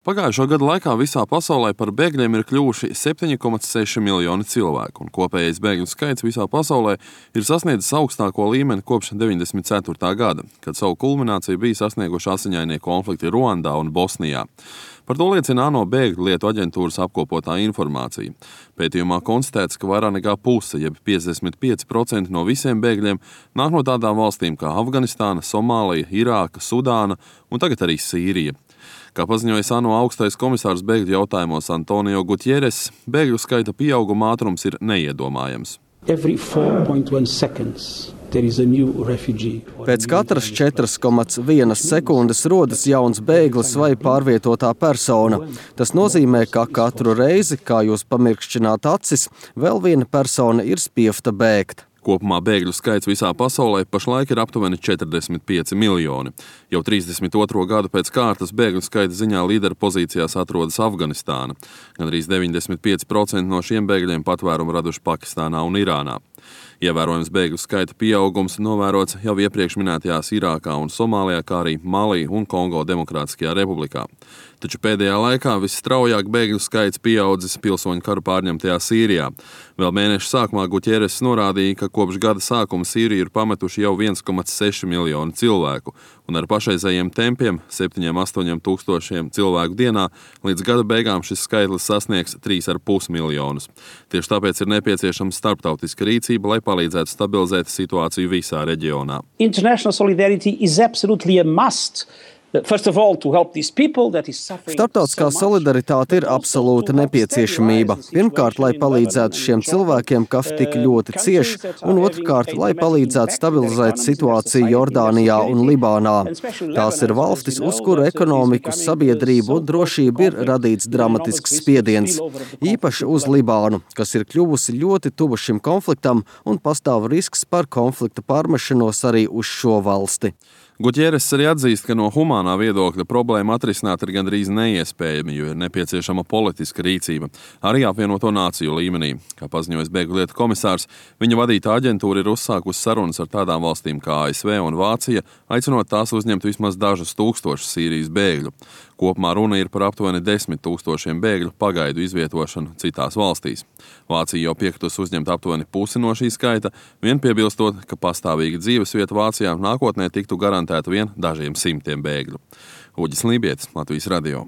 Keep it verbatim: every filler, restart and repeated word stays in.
Pagājušo gadu laikā visā pasaulē par bēgļiem ir kļuvuši septiņi komā seši miljoni cilvēku, un kopējais bēgļu skaits visā pasaulē ir sasniedzis augstāko līmeni kopš deviņdesmit ceturtā gada, kad savu kulmināciju bija sasnieguši asiņainie konflikti Ruandā un Bosnijā. Par to liecina ANO bēgļu lietu aģentūras apkopotā informācija. Pētījumā konstatēts, ka vairāk nekā puse, jeb piecdesmit pieci procenti no visiem bēgļiem nāk no tādām valstīm kā Afganistāna, Somālija, Irāka, Sudāna un tagad arī Sīrija. Kā paziņoja ANO augstais komisārs bēgļu jautājumos Antonio Gutieres, bēgļu skaita pieauguma ātrums ir neiedomājams. Pēc katras četras komā viena sekundes rodas jauns bēglis vai pārvietotā persona. Tas nozīmē, ka katru reizi, kā jūs pamirkšķināt acis, vēl viena persona ir spievta bēgt. Kopumā bēgļu skaits visā pasaulē pašlaik ir aptuveni četrdesmit pieci miljoni. Jau trīsdesmit otro gadu pēc kārtas bēgļu skaita ziņā līdera pozīcijās atrodas Afganistāna. Gandrīz deviņdesmit pieci procenti no šiem bēgļiem patvērumu raduši Pakistānā un Irānā. Ievērojams bēgļu skaita pieaugums novērots jau iepriekš minētajās Irākā un Somālijā, kā arī Malī un Kongo Demokrātiskajā republikā. Taču pēdējā laikā visstraujāk bēgļu skaits pieaudzis pilsoņu karu pārņemtajā Sīrijā. Vēl mēneša sākumā Gutieres norādīja, ka kopš gada sākuma Sīriju ir pametuši jau viens komā seši miljoni cilvēku, un ar pašreizējiem tempiem septiņiem astoņiem tūkstošiem cilvēku dienā līdz gada beigām šis skaitlis sasniegs trīs ar pus miljonus. Tieši tāpēc ir nepieciešama starptautiska rīcība, lai palīdzētu stabilizēt situāciju visā reģionā. International solidarity is absolutely a must. Starptautiskā solidaritāte ir absolūta nepieciešamība. Pirmkārt, lai palīdzētu šiem cilvēkiem, kas tik ļoti cieš, un otrkārt, lai palīdzētu stabilizēt situāciju Jordānijā un Libānā. Tās ir valstis, uz kuru ekonomiku, sabiedrību un drošību ir radīts dramatisks spiediens. Īpaši uz Libānu, kas ir kļuvusi ļoti tuvu šim konfliktam un pastāv risks par konflikta pārmešanos arī uz šo valsti. Gutieres arī atzīst, ka no humānā viedokļa problēma atrisināt ir gandrīz neiespējami, jo ir nepieciešama politiska rīcība, arī apvienoto nāciju līmenī. Kā paziņojas bēgļu lietu komisārs, viņa vadītā aģentūra ir uzsākusi sarunas ar tādām valstīm kā A S V un Vācija, aicinot tās uzņemt vismaz dažus tūkstošus Sīrijas bēgļu. Kopumā runa ir par aptuveni desmit tūkstošiem bēgļu pagaidu izvietošanu citās valstīs. Vācija jau piekritus uzņemt aptuveni pusi no šī skaita, vien piebilstot, ka pastāvīga dzīvesvieta Vācijā nākotnē tiktu garantēta vien dažiem simtiem bēgļu. Uģis Lībietis, Latvijas radio.